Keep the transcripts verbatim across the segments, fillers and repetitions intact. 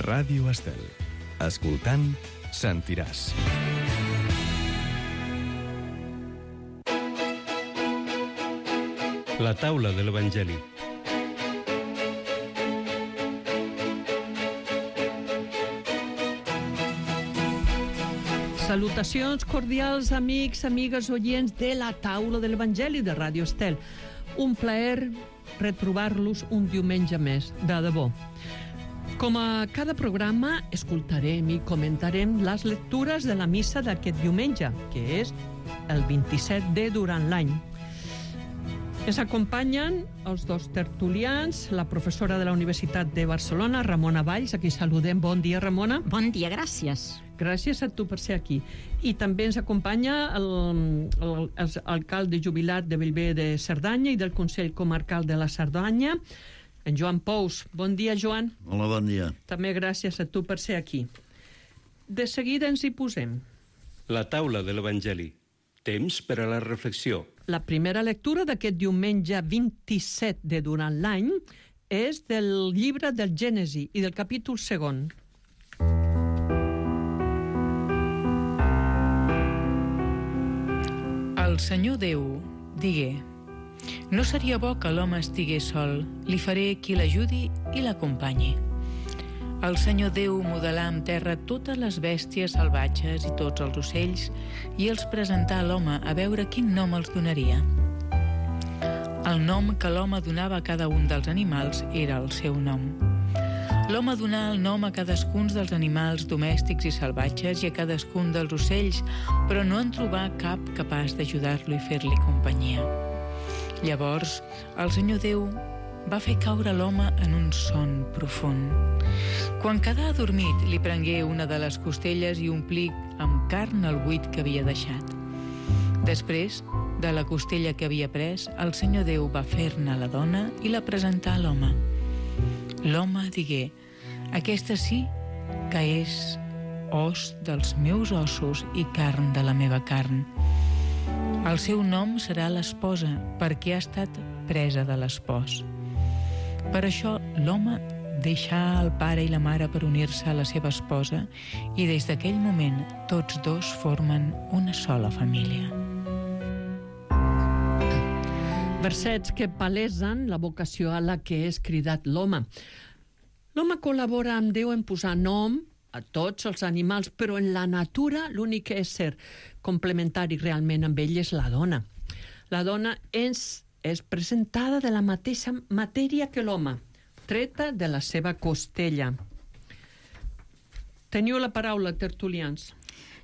Ràdio Estel. Escoltant, sentiràs. La taula de l'Evangeli. Salutacions cordials, amics, amigues, oients de la taula de l'Evangeli de Ràdio Estel. Un plaer retrobar-los un diumenge més, de debò. Com a cada programa, escoltarem i comentarem les lectures de la missa d'aquest diumenge, que és el vint-i-set de durant l'any. Ens acompanyen els dos tertulians, la professora de la Universitat de Barcelona, Ramona Valls, a qui saludem. Bon dia, Ramona. Bon dia, gràcies. Gràcies a tu per ser aquí. I també ens acompanya l'alcalde jubilat de Bellver de Cerdanya i del Consell Comarcal de la Cerdanya, en Joan Pous. Bon dia, Joan. Hola, bon dia. També gràcies a tu per ser aquí. De seguida ens hi posem. La taula de l'Evangeli. Temps per a la reflexió. La primera lectura d'aquest diumenge vint-i-set de durant l'any és del llibre del Gènesi i del capítol segon. El Senyor Déu digué: no seria bo que l'home estigués sol, li faré qui l'ajudi i l'acompanyi. El Senyor Déu modelà amb terra totes les bèsties salvatges i tots els ocells i els presentà a l'home a veure quin nom els donaria. El nom que l'home donava a cada un dels animals era el seu nom. L'home donà el nom a cadascun dels animals domèstics i salvatges i a cadascun dels ocells, però no en trobà cap capaç d'ajudar-lo i fer-li companyia. Llavors, el Senyor Déu va fer caure l'home en un son profund. Quan quedà adormit, li prengué una de les costelles i omplí amb carn el buit que havia deixat. Després, de la costella que havia pres, el Senyor Déu va fer-ne la dona i la presentà a l'home. L'home digué: aquesta sí que és os dels meus ossos i carn de la meva carn. El seu nom serà l'esposa, perquè ha estat presa de l'espòs. Per això l'home deixà el pare i la mare per unir-se a la seva esposa i des d'aquell moment tots dos formen una sola família. Versets que palesen la vocació a la que és cridat l'home. L'home col·labora amb Déu en posar nom a tots els animals, però en la natura l'únic ésser complementari realment amb ell és la dona. La dona és, és presentada de la mateixa matèria que l'home, treta de la seva costella. Teniu la paraula, tertulians.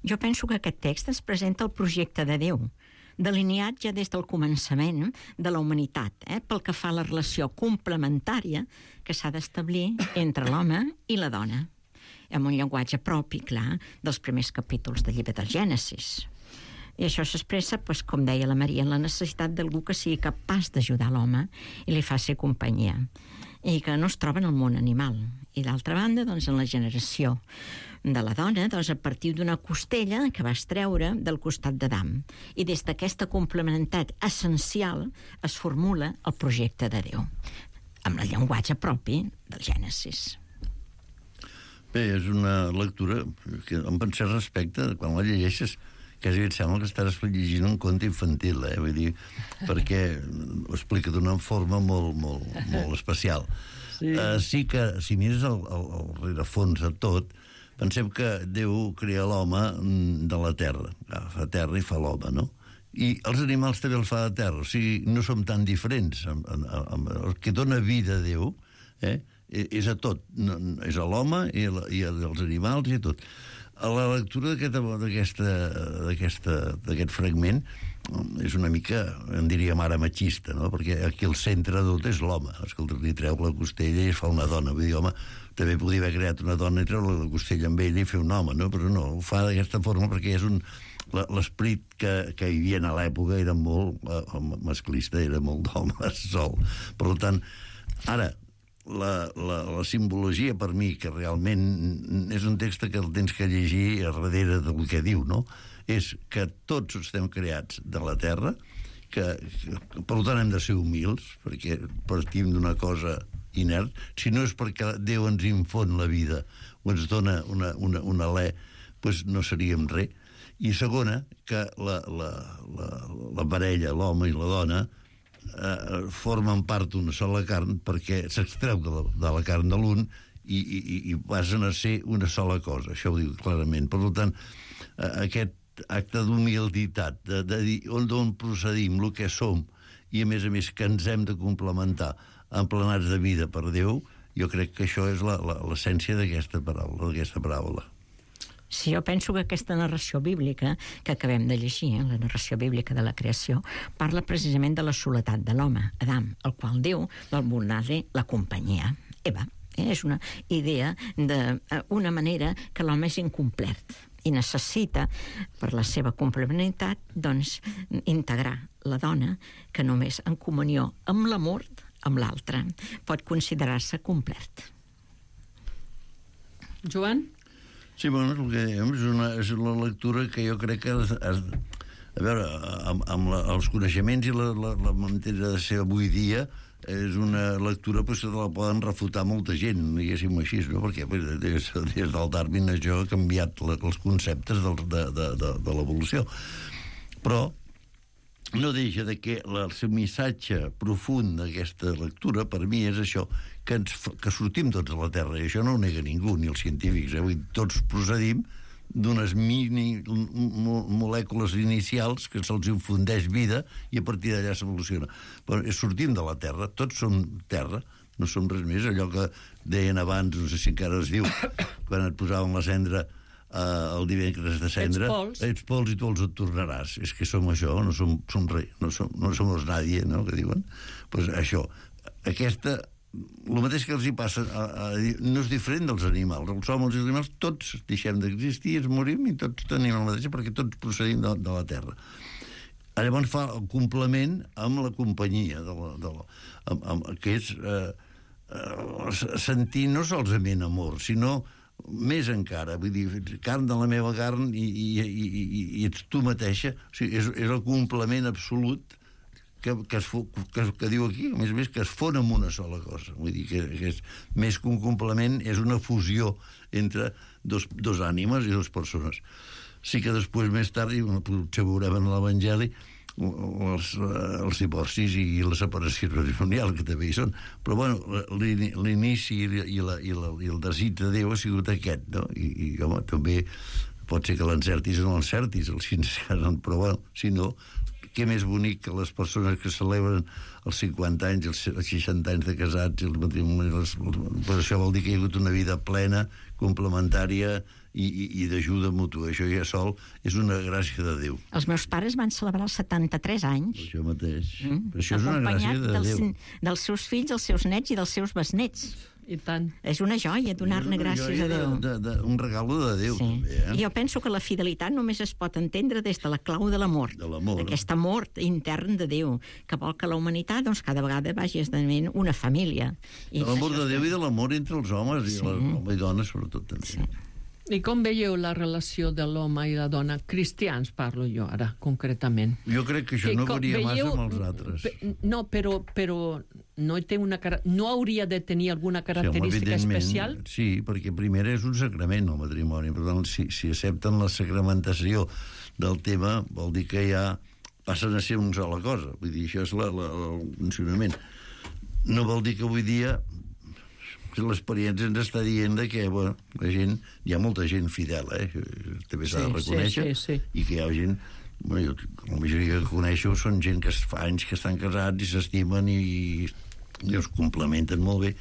Jo penso que aquest text ens presenta el projecte de Déu, delineat ja des del començament de la humanitat, eh, pel que fa a la relació complementària que s'ha d'establir entre l'home i la dona, amb un llenguatge propi, clar, dels primers capítols del llibre del Gènesis. I això s'expressa, doncs, com deia la Maria, en la necessitat d'algú que sigui capaç d'ajudar l'home i li faci companyia, i que no es troba en el món animal. I d'altra banda, doncs, en la generació de la dona, doncs, a partir d'una costella que va extreure del costat d'Adam. I des d'aquesta complementaritat essencial es formula el projecte de Déu, amb el llenguatge propi del Gènesis. Bé, és una lectura que em pensé respecte, quan la llegeixes, quasi et sembla que estàs llegint un conte infantil, eh? Vull dir, perquè ho explica d'una forma molt, molt, molt especial. Sí. Uh, sí que, si mires el, el, el rerefons de tot, pensem que Déu crea l'home de la terra, fa terra i fa l'home, no? I els animals també el fa de terra, o sigui, no som tan diferents. Amb, amb, amb, el que dona vida a Déu, eh? és a tot, és a l'home i, a, i als animals i a tot. A la lectura d'aquest fragment és una mica, en diríem ara, machista, no? Perquè aquí el centre de tot és l'home. Escolta, li treu la costella i es fa una dona. Vull dir, home, també podria haver creat una dona i treure la costella amb ella i fer un home, no? Però no, ho fa d'aquesta forma perquè és un... L'esperit que, que hi havia a l'època era molt eh, masclista, era molt d'home sol. Per tant, ara, La, la, la simbologia per mi, que realment és un text que el tens que llegir a darrere del que diu, no? És que tots estem creats de la terra, que, que per tant hem de ser humils, perquè partim d'una cosa inert, si no és perquè Déu ens infon la vida o ens dona una, una, una alè, doncs no seríem res. I segona, que la, la, la, la parella, l'home i la dona, eh, formen part d'una sola carn perquè s'extreu de, la, de la carn de l'un i, i, i passen a ser una sola cosa. Això ho diu clarament. Per tant, eh, aquest acte d'humilitat, de, de dir on, on procedim, el que som, i a més a més que ens hem de complementar emplenats de vida per Déu, jo crec que això és l'essència d'aquesta paraula, d'aquesta paraula. Sí, jo penso que aquesta narració bíblica que acabem de llegir, eh, la narració bíblica de la creació, parla precisament de la soledat de l'home, Adam, el qual Déu vol donar-li la companyia. Eva, eh, és una idea d'una manera que l'home és incomplet i necessita, per la seva complementaritat, doncs, integrar la dona que només en comunió amb l'amor, amb l'altre, pot considerar-se complet. Joan? Sí, bueno, el que dèiem és una, és una lectura que jo crec que... Es, es, a veure, amb, amb la, els coneixements i la, la, la manera de ser avui dia, és una lectura pues, que la poden refutar molta gent, diguéssim així, no? Perquè pues, des, des del Darwin això ha canviat la, els conceptes del, de, de, de, de l'evolució. Però no deixa de que el missatge profund d'aquesta lectura, per mi, és això, que, ens, que sortim tots de la Terra, i això no ho nega ningú, ni els científics, eh? Vull dir, tots procedim d'unes mini molècules inicials que se'ls infundeix vida i a partir d'allà s'evoluciona. Però sortim de la Terra, tots som Terra, no som res més. Allò que deien abans, no sé si encara es diu, quan et posaven la cendra eh, el divendres de cendra, ets pols. ets pols i tu els et tornaràs. És que som això, no som, som res, no som, no som nadie, no?, que diuen. Pues això, aquesta... El mateix que els hi passa a, a, no és diferent dels animals. Els homes i els animals tots deixem d'existir, ens morim i tots tenim el mateix perquè tots procedim de, de la Terra. Llavors fa el complement amb la companyia de la, de la, amb, amb, que és eh, eh, sentir no solament amor, sinó més encara, vull dir, carn de la meva carn i, i, i, i, i ets tu mateixa. O sigui, és, és el complement absolut que, que, es, que, que diu aquí, a més a més, que es fon en una sola cosa. Vull dir que, que és més que un complement, és una fusió entre dos, dos ànimes i dues persones. Sí que després, més tard, i potser veurem en l'Evangeli, els, els divorcis i la separació matrimonial, que també hi són. Però, bueno, l'inici i, la, i, la, i el desig de Déu ha sigut aquest, no? I, i home, també pot ser que l'encertis o no l'encertis, els fills es casen, però, bueno, si no... Què més bonic que les persones que celebren els cinquanta anys, els seixanta anys de casats i els matrimonis, per això vol dir que hi ha hagut una vida plena, complementària i, i, i d'ajuda mútua. Això ja sol és una gràcia de Déu. Els meus pares van celebrar els setanta-tres anys. Això mateix. Mm? Això és una gràcia de dels, Déu. dels seus fills, els seus nets i dels seus besnets. I tant. És una joia donar-ne gràcies a Déu. De, de, un regalo de Déu, sí. També. Eh? I jo penso que la fidelitat només es pot entendre des de la clau de l'amor. De l'amor. Aquest amor intern de Déu, que vol que la humanitat doncs, cada vegada vagi esdevenint una família. De l'amor de Déu i de l'amor entre els homes sí. i les homes i dones, sobretot, també. Sí. I com veieu la relació de l'home i la dona? Cristians parlo jo ara, concretament. Jo crec que això que, no varia veieu... massa amb els altres. Pe, no, però, però no, té una, no hauria de tenir alguna característica sí, especial? Sí, perquè primer és un sacrament el matrimoni. Per tant, si, si accepten la sacramentació del tema, vol dir que ja passen a ser una sola cosa. Vull dir, això és la, la, el funcionament. No vol dir que avui dia l'experiència ens està dient que, bueno, la gent, hi ha molta gent fidel, eh? També s'ha sí, de reconèixer, sí, sí, sí. I que hi ha gent, bueno, jo, la majoria que coneixo són gent que fa anys que estan casats i s'estimen i, i es complementen molt bé,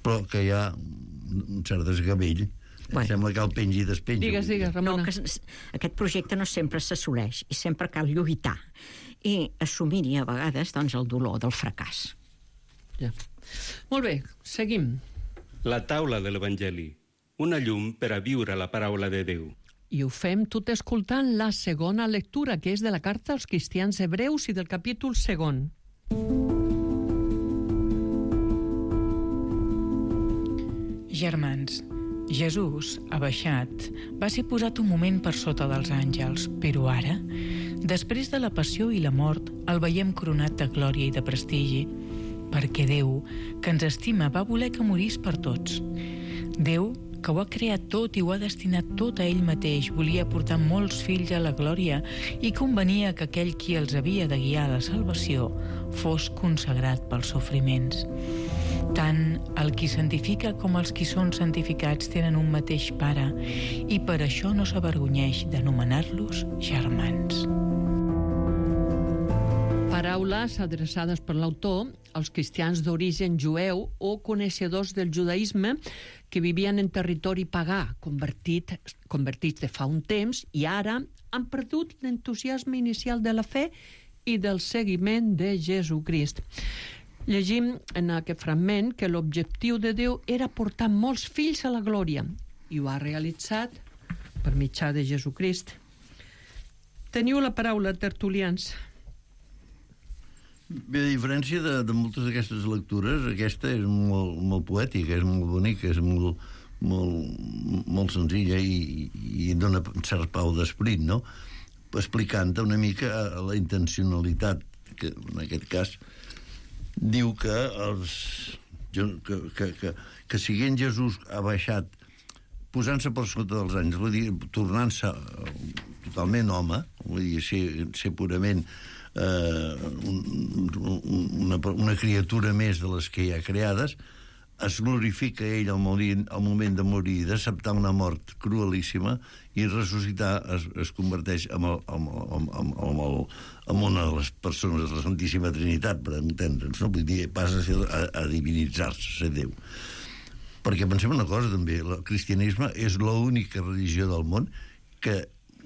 però que hi ha un cert desgavell. Bueno. Sembla que el pengi i despengi. Digues, digues, Ramona. No, que aquest projecte no sempre s'assoleix i sempre cal lluitar i assumir-hi a vegades doncs, el dolor del fracàs. Ja. Molt bé, seguim. La taula de l'Evangeli, una llum per a viure la paraula de Déu. I ho fem tot escoltant la segona lectura, que és de la carta als cristians hebreus i del capítol segon. Germans, Jesús, abaixat, va ser posat un moment per sota dels àngels, però ara, després de la passió i la mort, el veiem coronat de glòria i de prestigi. perquè Déu, que ens estima, va voler que morís per tots. Déu, que ho ha creat tot i ho ha destinat tot a ell mateix, volia portar molts fills a la glòria i convenia que aquell qui els havia de guiar a la salvació fos consagrat pels sofriments. Tant el qui santifica com els qui són santificats tenen un mateix pare i per això no s'avergonyeix d'anomenar-los germans. Paraules adreçades per l'autor als cristians d'origen jueu o coneixedors del judaïsme que vivien en territori pagà, convertit, convertits de fa un temps, i ara han perdut l'entusiasme inicial de la fe i del seguiment de Jesucrist. Llegim en aquest fragment que l'objectiu de Déu era portar molts fills a la glòria i ho ha realitzat per mitjà de Jesucrist. Teniu la paraula, tertulians. Bé, a diferència de, de moltes d'aquestes lectures, aquesta és molt, molt poètica, és molt bonica, és molt, molt, molt senzilla i, i dona un cert pau d'esperit, no? Explicant una mica la intencionalitat, que en aquest cas diu que, els, que, que, que, que siguent Jesús ha baixat posant-se per sota dels anys, vull dir, tornant-se totalment home, vull dir, ser, ser purament eh, un, una, una criatura més de les que hi ha creades, es glorifica ell al, morir, al moment de morir, d'acceptar una mort cruelíssima i ressuscitar es, es converteix en, el, en, en, en, en, el, en una de les persones de la Santíssima Trinitat, per entendre'ns, no? Vull dir, passa a, ser, a, a divinitzar-se, a ser Déu. Perquè pensem una cosa també, el cristianisme és l'única religió del món que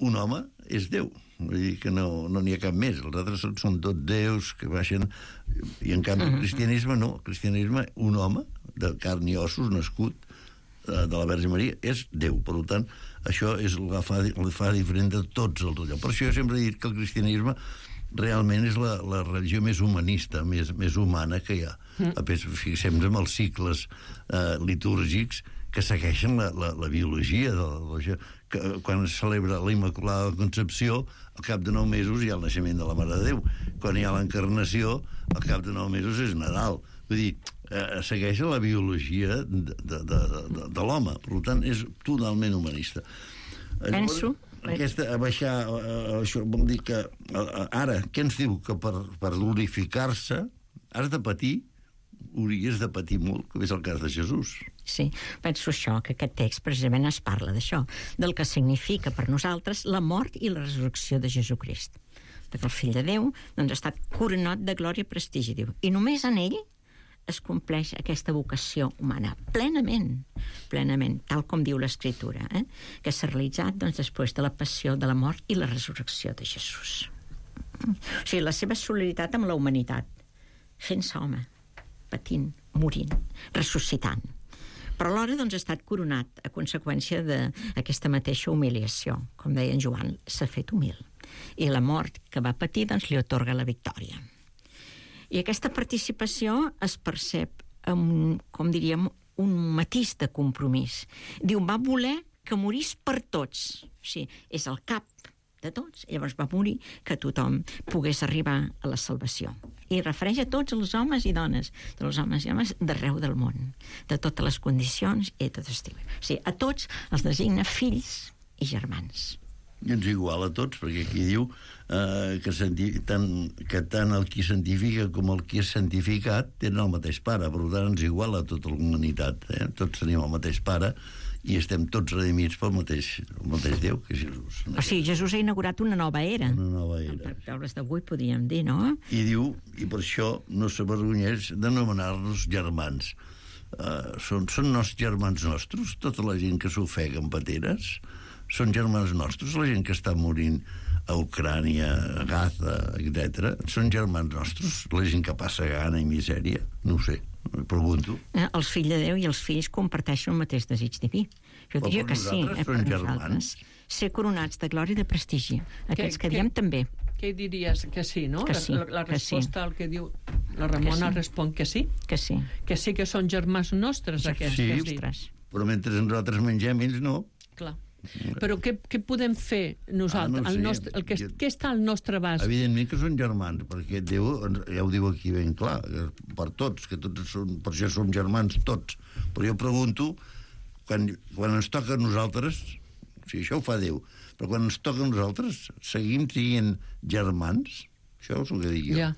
un home és Déu. Vull dir que no n'hi no ha cap més. Els altres són, són tots déus que baixen, i en canvi el cristianisme no. El cristianisme, un home de carn i ossos, nascut de la Verge Maria, és Déu. Per tant, això és el que fa, el fa diferent de tots els allò. Per això jo sempre he dit que el cristianisme realment és la, la religió més humanista, més, més humana que hi ha. Mm. Fixem-nos en els cicles eh, litúrgics que segueixen la, la, la biologia de la, que quan es celebra la Immaculada Concepció, al cap de nou mesos hi ha el naixement de la Mare de Déu. Quan hi ha l'encarnació, al cap de nou mesos és Nadal. Vull dir, eh, segueix la biologia de, de, de, de, de l'home. Per tant, és totalment humanista. Penso... Aquesta, a baixar, uh, això vol dir que uh, ara, què ens diu? Que per, per glorificar-se has de patir, hauries de patir molt, com és el cas de Jesús. Sí, penso això, que aquest text precisament es parla d'això, del que significa per nosaltres la mort i la resurrecció de Jesucrist. Perquè el Fill de Déu doncs, ha estat coronat de glòria i prestigi, diu, i només en ell es compleix aquesta vocació humana plenament, plenament, tal com diu l'Escriptura, eh? que s'ha realitzat doncs, després de la passió, de la mort i la resurrecció de Jesús. O sigui, la seva solidaritat amb la humanitat, fent-se home, patint, morint, ressuscitant. Però alhora doncs, ha estat coronat a conseqüència d'aquesta mateixa humiliació. Com deia en Joan, s'ha fet humil. I la mort que va patir doncs, li atorga la victòria. I aquesta participació es percep amb, com diríem, un matís de compromís. Diu, va voler que morís per tots. O sigui, és el cap de tots. Llavors va morir que tothom pogués arribar a la salvació. I refereix a tots els homes i dones, dels homes i homes d'arreu del món, de totes les condicions i de tot estil. O sigui, a tots els designa fills i germans. I ens igual a tots, perquè aquí diu eh, que, tant, que tant el qui santifica com el qui és santificat tenen el mateix pare, per tant ens igual a tota la humanitat. Eh? Tots tenim el mateix pare i estem tots redimits pel mateix, el mateix Déu, que és Jesús. O sigui, Jesús ha inaugurat una nova era. Una nova era. Per paraules d'avui podríem dir, no? I diu, i per això no s'avergonyeix d'anomenar-nos germans. Uh, són, són nostres germans nostres, tota la gent que s'ofega en pateres, són germans nostres, la gent que està morint a Ucrània, a Gaza, etcètera. Són germans nostres, la gent que passa gana i misèria, no ho sé, em pregunto. Eh, els fills de Déu i els fills comparteixen el mateix desig diví. Jo Però diria que sí, eh, per nosaltres. Ser coronats de glòria i de prestigi. Aquests que, que diem també. Què diries? Que sí, no? Que sí, la, la resposta que sí. al que diu la Ramona sí. respon que sí. Que sí. Que sí que són germans nostres, aquests. Sí, que però mentre nosaltres mengem, ells no. Clar. Però què, què podem fer nosaltres? Ah, no el sé. nostre, el que, Jo- què està al nostre abast? Evidentment que són germans, perquè Déu ens- ja ho diu aquí ben clar, que per tots, que tots són, per això som germans tots. Però jo pregunto, quan, quan ens toca a nosaltres, o sigui, això ho fa Déu, però quan ens toca a nosaltres, seguim sent germans? Això és el que dic jo. Ja.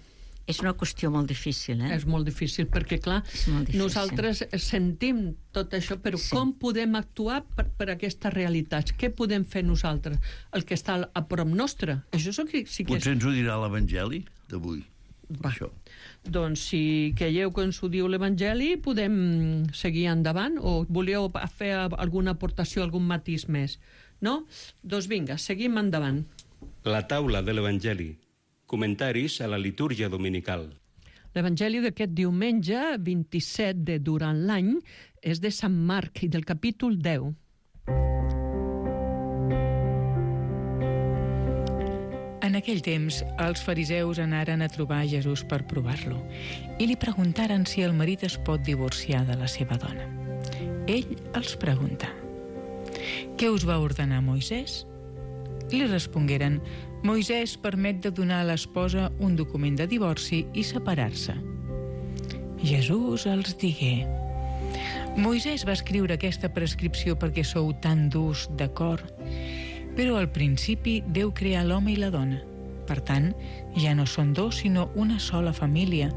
És una qüestió molt difícil, eh? És molt difícil, perquè, clar, És molt difícil. nosaltres sentim tot això, però Sí. com podem actuar per, per aquestes realitats? Què podem fer nosaltres? El que està a prop nostre? Això és el que sí que és... Potser ens ho dirà l'Evangeli d'avui. Va. Això. Doncs si creieu que ens ho diu l'Evangeli, podem seguir endavant, o voleu fer alguna aportació, algun matís més? No? Doncs vinga, seguim endavant. La taula de l'Evangeli. Comentaris a la litúrgia dominical. L'Evangeli d'aquest diumenge, vint-i-set de durant l'any, és de Sant Marc i del capítol deu. En aquell temps, els fariseus anaren a trobar a Jesús per provar-lo i li preguntaren si el marit es pot divorciar de la seva dona. Ell els pregunta: «Què us va ordenar Moisès?» Li respongueren: «Moisès permet de donar a l'esposa un document de divorci i separar-se». Jesús els digué: «Moisès va escriure aquesta prescripció perquè sou tan durs de cor, però al principi Déu creà l'home i la dona. Per tant, ja no són dos, sinó una sola família.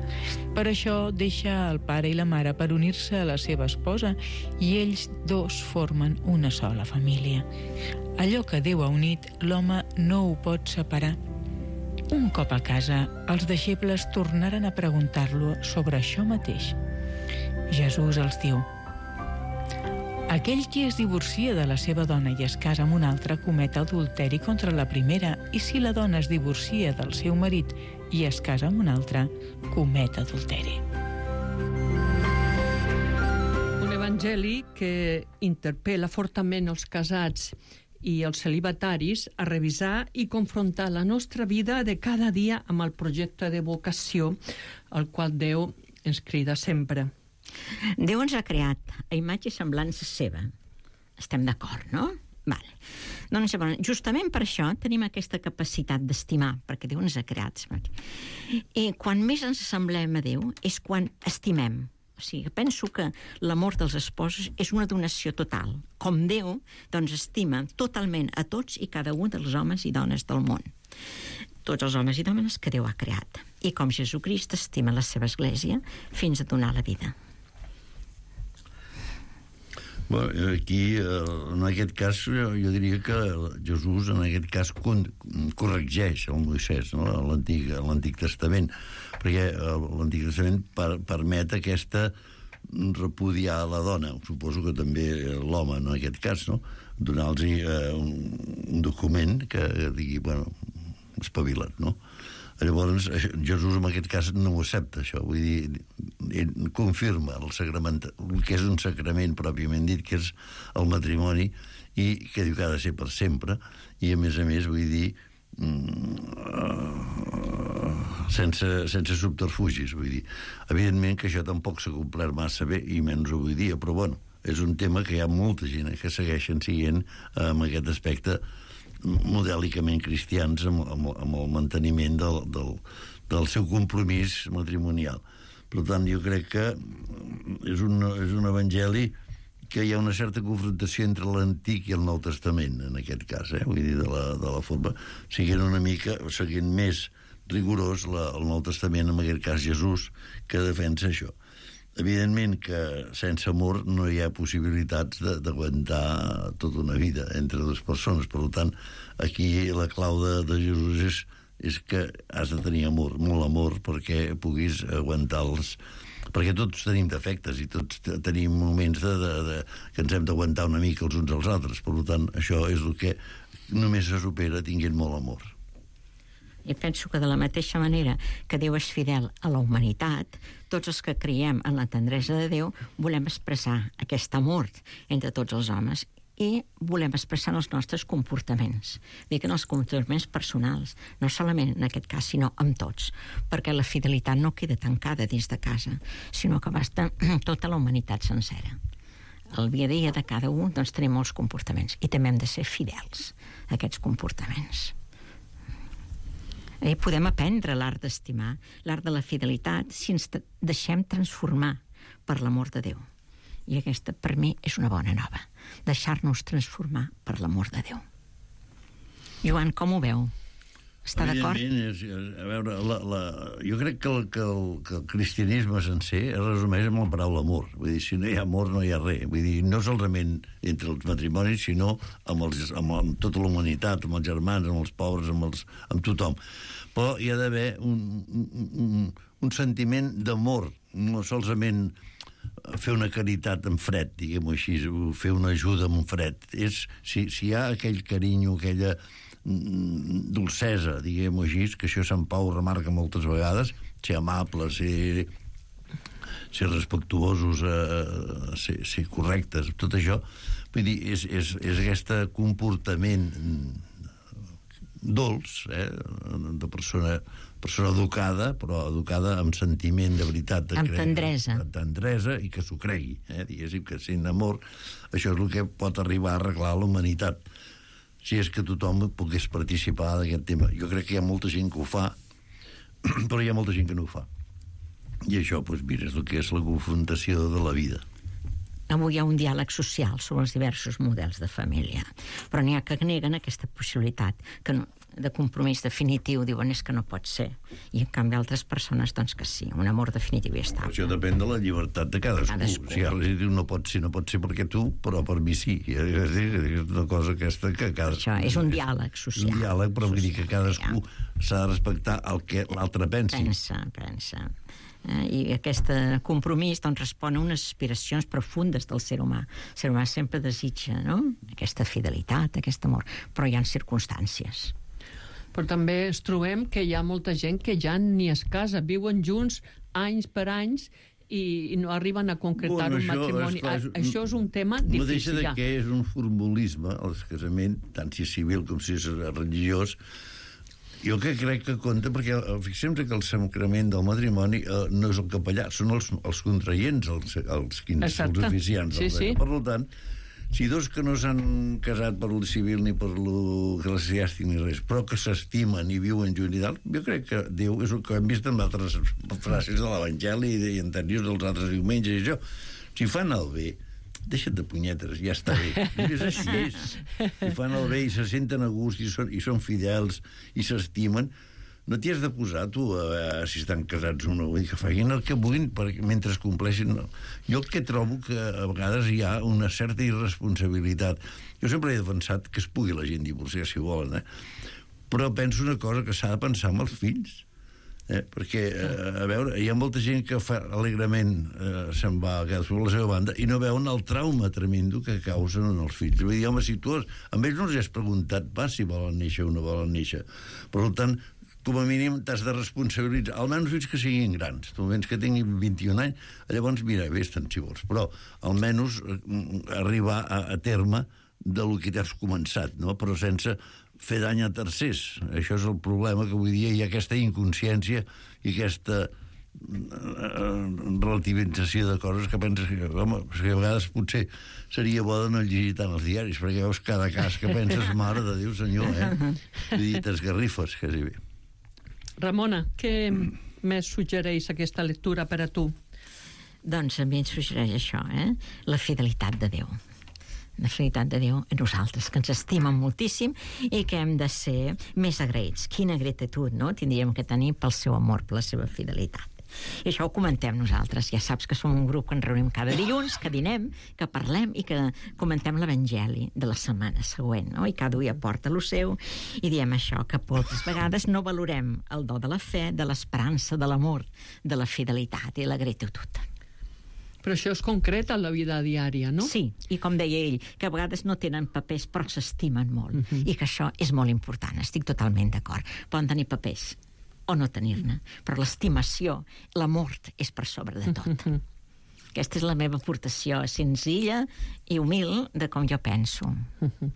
Per això deixa el pare i la mare per unir-se a la seva esposa i ells dos formen una sola família. Allò que Déu ha unit, l'home no ho pot separar». Un cop a casa, els deixebles tornaren a preguntar-lo sobre això mateix. Jesús els diu: «Aquell qui es divorcia de la seva dona i es casa amb una altra comet adulteri contra la primera, i si la dona es divorcia del seu marit i es casa amb un altre, comet adulteri». Un evangeli que interpel·la fortament els casats i els celibataris a revisar i confrontar la nostra vida de cada dia amb el projecte de vocació al qual Déu ens crida sempre. Déu ens ha creat a imatge i semblança seva. Estem d'acord, no? Vale. Doncs llavors, justament per això tenim aquesta capacitat d'estimar, perquè Déu ens ha creat. I quan més ens assemblem a Déu és quan estimem. O sigui, penso que l'amor dels esposos és una donació total. Com Déu, doncs, estima totalment a tots i cada un dels homes i dones del món. Tots els homes i dones que Déu ha creat. I com Jesucrist estima la seva església fins a donar la vida. Bueno, aquí, en aquest cas, jo, jo diria que Jesús, en aquest cas, con, corregeix el Moisès, no? l'Antic Testament, perquè l'Antic Testament per, permet aquesta repudiar la dona, suposo que també l'home, en aquest cas, no? Donar-los eh, un, un document que digui, bueno, espavila't, no? Llavors, Jesús en aquest cas no ho accepta, això. Vull dir, ell confirma el sacrament, el que és un sacrament pròpiament dit, que és el matrimoni, i que diu que ha de ser per sempre, i a més a més, vull dir, sense, sense subterfugis, vull dir. Evidentment que això tampoc s'ha complert massa bé, i menys avui dia, però bueno, és un tema que hi ha molta gent que segueixen siguent amb aquest aspecte modèlicament cristians amb, amb, amb el manteniment del, del, del seu compromís matrimonial. Per tant, jo crec que és un, és un evangeli que hi ha una certa confrontació entre l'Antic i el Nou Testament, en aquest cas, eh? Vull dir, de la, de la forma, siguent una mica, seguint més rigorós la, el Nou Testament, en aquest cas Jesús, que defensa això. Evidentment que sense amor no hi ha possibilitats d'aguantar tota una vida entre dues persones. Per tant, aquí la clau de, de Jesús és, és que has de tenir amor, molt amor, perquè puguis aguantar-los, perquè tots tenim defectes i tots tenim moments de, de, de, que ens hem d'aguantar una mica els uns als altres. Per tant, això és el que només se supera tinguent molt amor. I penso que de la mateixa manera que Déu és fidel a la humanitat, tots els que creiem en la tendresa de Déu volem expressar aquest amor entre tots els homes i volem expressar els nostres comportaments. Dic en els comportaments personals, no solament en aquest cas, sinó amb tots, perquè la fidelitat no queda tancada dins de casa, sinó que basta tota la humanitat sencera. el dia a dia de cada un, doncs tenim molts comportaments i també hem de ser fidels a aquests comportaments. Eh, podem aprendre l'art d'estimar, l'art de la fidelitat, si ens deixem transformar per l'amor de Déu. I aquesta, per mi, és una bona nova. Deixar-nos transformar per l'amor de Déu. Joan, com ho veu? Està d'acord? És, a veure, la, la, jo crec que el, que, el, que el cristianisme sencer es resumeix amb la paraula amor. Vull dir, si no hi ha amor, no hi ha res. Vull dir, no solament entre els matrimonis, sinó amb, els, amb, amb tota la humanitat, amb els germans, amb els pobres, amb, els, amb tothom. Però hi ha d'haver un, un, un, un sentiment d'amor, no solament fer una caritat en fred, diguem-ho així, fer una ajuda en fred. És, si, si hi ha aquell carinyo, aquella dolcesa, diguem-ho així, que això Sant Pau remarca moltes vegades, ser amables, ser, ser respectuosos, eh, ser, ser correctes, tot això, vull dir, és, és, és aquest comportament dolç, eh, de persona, persona educada, però educada amb sentiment de veritat. De amb cre... tendresa. Amb tendresa i que s'ho cregui, eh, diguéssim, que sent amor, això és el que pot arribar a arreglar la humanitat, si és que tothom pogués participar d'aquest tema. Jo crec que hi ha molta gent que ho fa, però hi ha molta gent que no ho fa. I això, doncs, mira, és el que és la confrontació de la vida. Avui hi ha un diàleg social sobre els diversos models de família, però n'hi ha que neguen aquesta possibilitat, que no, de compromís definitiu, diuen és que no pot ser, i en canvi altres persones doncs que sí, un amor definitiu i estable. Això depèn de la llibertat de cadascú. cadascú. Si ara li diu no pot ser, no pot ser perquè tu, però per mi sí. És una cosa aquesta que cadascú... Això és un diàleg social. Un diàleg, però vull dir que cadascú s'ha de respectar el que l'altre pensi. Pensa, pensa. Eh, i aquest compromís doncs, respon a unes aspiracions profundes del ser humà. El ser humà sempre desitja, no?, aquesta fidelitat, aquest amor, però hi ha circumstàncies. Però també ens trobem que hi ha molta gent que ja ni es casa, viuen junts anys per anys i, i no arriben a concretar bueno, un matrimoni. És, clar, és, això és un tema difícil. No deixa de ja. que és un formulisme, el casament, tant si és civil com si és religiós. Jo que crec que compta, perquè fixem-nos que el sacrament del matrimoni eh, no és el capellà, són els, els contraients, els, els, quins, els oficiants. Sí, sí. Per tant, si dos que no s'han casat per lo civil ni per lo eclesiàstic ni res, però que s'estimen i viuen junts i tal, jo crec que Déu és el que hem vist en altres frases de l'Evangeli i anteriors dels altres diumenges i això. Si fan el bé, deixa't de punyetes, ja està bé. És així, és. Si fan el bé i se senten a gust i són, i són fidels i s'estimen, no t'hi has de posar tu a veure si estan casats o no, vull dir que facin el que vulguin perquè, mentre es compleixin. No. Jo el que trobo que a vegades hi ha una certa irresponsabilitat. Jo sempre he defensat que es pugui la gent divorciar si volen, eh? Però penso una cosa, que s'ha de pensar amb els fills. Eh? Perquè, eh, a veure, hi ha molta gent que fa alegrement eh, se'n va a cadascú a la seva banda i no veuen el trauma tremendo que causen en els fills. Vull dir, home, si tu has, amb ells no els has preguntat pas si volen néixer o no volen néixer. Per tant, com a mínim t'has de responsabilitzar, almenys fins que siguin grans, almenys que tinguin vint-i-un anys, llavors mira, vés-te'n si vols, però almenys arribar a, a terme del que t'has començat, no? Però sense fer dany a tercers. Això és el problema, que avui dia hi ha aquesta inconsciència i aquesta relativització de coses que penses que, home, que a vegades potser seria bo de no llegir tant els diaris, perquè veus cada cas que penses, mare de Déu, senyor, eh? Vull dir, t'esgarrifes, quasi bé. Ramona, què més suggereix aquesta lectura per a tu? Doncs a mi ens suggereix això, eh? La fidelitat de Déu. La fidelitat de Déu a nosaltres, que ens estimen moltíssim i que hem de ser més agraïts. Quina gratitud, no?, tindríem que tenir pel seu amor, per la seva fidelitat. I això ho comentem nosaltres. Ja saps que som un grup que ens reunim cada dilluns, que dinem, que parlem i que comentem l'Evangeli de la setmana següent, no? I cada dia porta lo seu i diem això, que moltes vegades no valorem el do de la fe, de l'esperança, de l'amor, de la fidelitat i la gratitud. Però això és concret a la vida diària, no? Sí, i com deia ell, que a vegades no tenen papers però s'estimen molt, uh-huh. i que això és molt important, estic totalment d'acord. Poden tenir papers o no tenir-ne, però l'estimació, l'amor és per sobre de tot. Uh-huh. Aquesta és la meva aportació senzilla i humil de com jo penso. Uh-huh.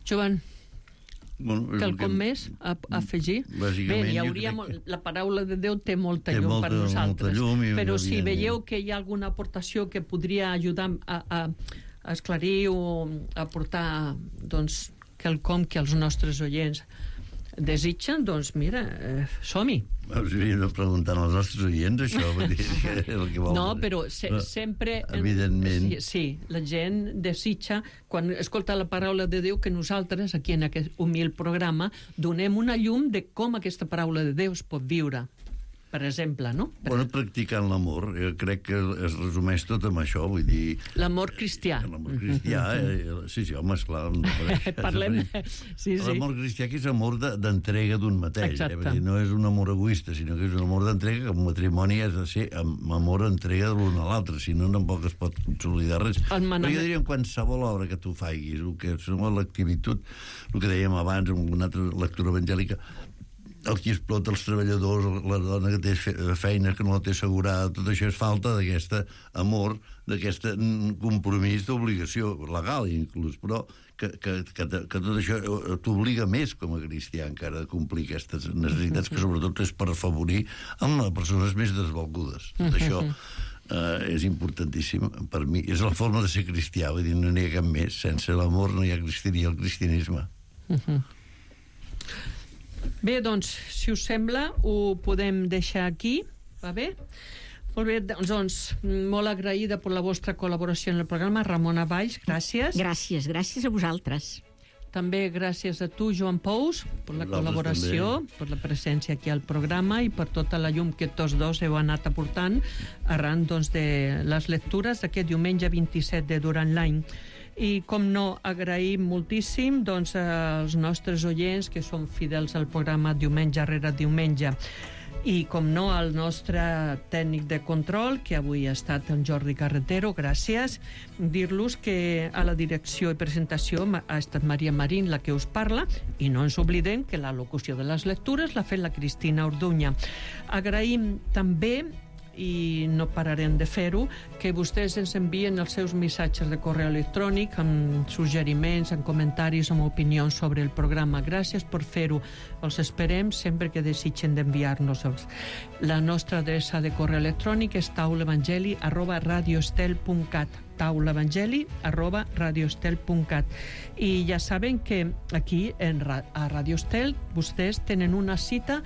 Joan? Bueno, és el quelcom que- més a, a afegir? Bàsicament, Bé, hi jo hauria crec molt, que- la paraula de Déu té molta Té llum molta- per nosaltres, molta llum i, però si evidentment. veieu que hi ha alguna aportació que podria ajudar a, a, a esclarir o a portar doncs, quelcom que els nostres oients desitgen, doncs mira, eh, som-hi. Us hauríem de preguntar als nostres oients, això, vull dir, que és el que vol. No, però se, Però, sempre... evidentment. Sí, sí, la gent desitja, quan escolta la paraula de Déu, que nosaltres, aquí en aquest humil programa, donem una llum de com aquesta paraula de Déu es pot viure. Per exemple, no? Bueno, practicant l'amor, eh, crec que es resumeix tot amb això, vull dir... L'amor cristià. L'amor cristià, eh, sí, sí, home, esclar... No Parlem... Sí, sí. L'amor cristià que és amor de- d'entrega d'un mateix. Eh? Exacte. Vull dir, no és un amor egoista, sinó que és un amor d'entrega, que un matrimoni has de ser amb amor entrega de l'un a l'altre, si no, tampoc es pot consolidar res. El manament- Però jo diria en qualsevol obra que tu faiguis, el que és l'activitud, el que dèiem abans, en una altra lectura evangèlica, el que explota els treballadors, la dona que té fe- feina que no la té assegurada, tot això és falta d'aquest amor, d'aquest compromís d'obligació legal inclús, però que, que, que, que tot això t'obliga més com a cristià encara a complir aquestes necessitats que sobretot és per afavorir amb les persones més desvalgudes. Tot això eh, és importantíssim per mi. És la forma de ser cristià, vull dir, no n'hi ha cap més. Sense l'amor no hi ha cristianisme, el cristianisme. Bé, doncs, si us sembla, ho podem deixar aquí, va bé? Molt bé, doncs, doncs molt agraïda per la vostra col·laboració en el programa. Ramona Valls, gràcies. Gràcies, gràcies a vosaltres. També gràcies a tu, Joan Pous, per la Vosaltres col·laboració, també. per la presència aquí al programa i per tota la llum que tots dos heu anat aportant arran doncs, de les lectures d'aquest diumenge vint-i-set de durant l'any. I, com no, agraïm moltíssim doncs, als nostres oients que són fidels al programa diumenge rere diumenge. I, com no, al nostre tècnic de control, que avui ha estat en Jordi Carretero, gràcies. Dir-los que a la direcció i presentació ha estat Maria Marín la que us parla, i no ens oblidem que la locució de les lectures l'ha fet la Cristina Orduña. Agraïm també, i no pararem de fer-ho, que vostès ens envien els seus missatges de correu electrònic amb suggeriments, amb comentaris, amb opinions sobre el programa. Gràcies per fer-ho. Els esperem sempre que desitgen d'enviar-nos-els. La nostra adreça de correu electrònic és taulaevangeli arroba radioestel punt cat taulaevangeli arroba radioestel punt cat. I ja saben que aquí en Ra- a Radio Estel vostès tenen una cita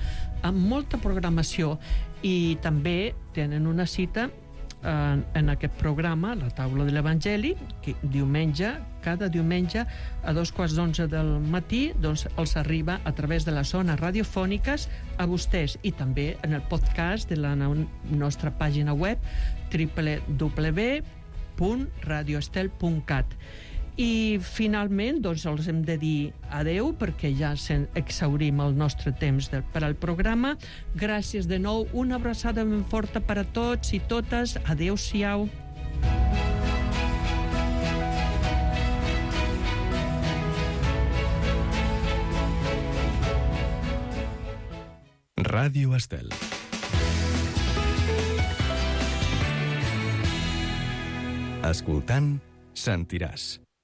amb molta programació i també tenen una cita en, en aquest programa, la taula de l'Evangeli, que diumenge, cada diumenge a dos quarts d'onze del matí doncs els arriba a través de les zones radiofòniques a vostès i també en el podcast de la no- nostra pàgina web w w w punt radioestel punt cat. I finalment doncs els hem de dir adeu perquè ja se'n exhaurim el nostre temps de, per al programa. Gràcies de nou, una abraçada ben forta per a tots i totes. Adeu-siau. Ràdio Estel. Escoltant, sentiràs.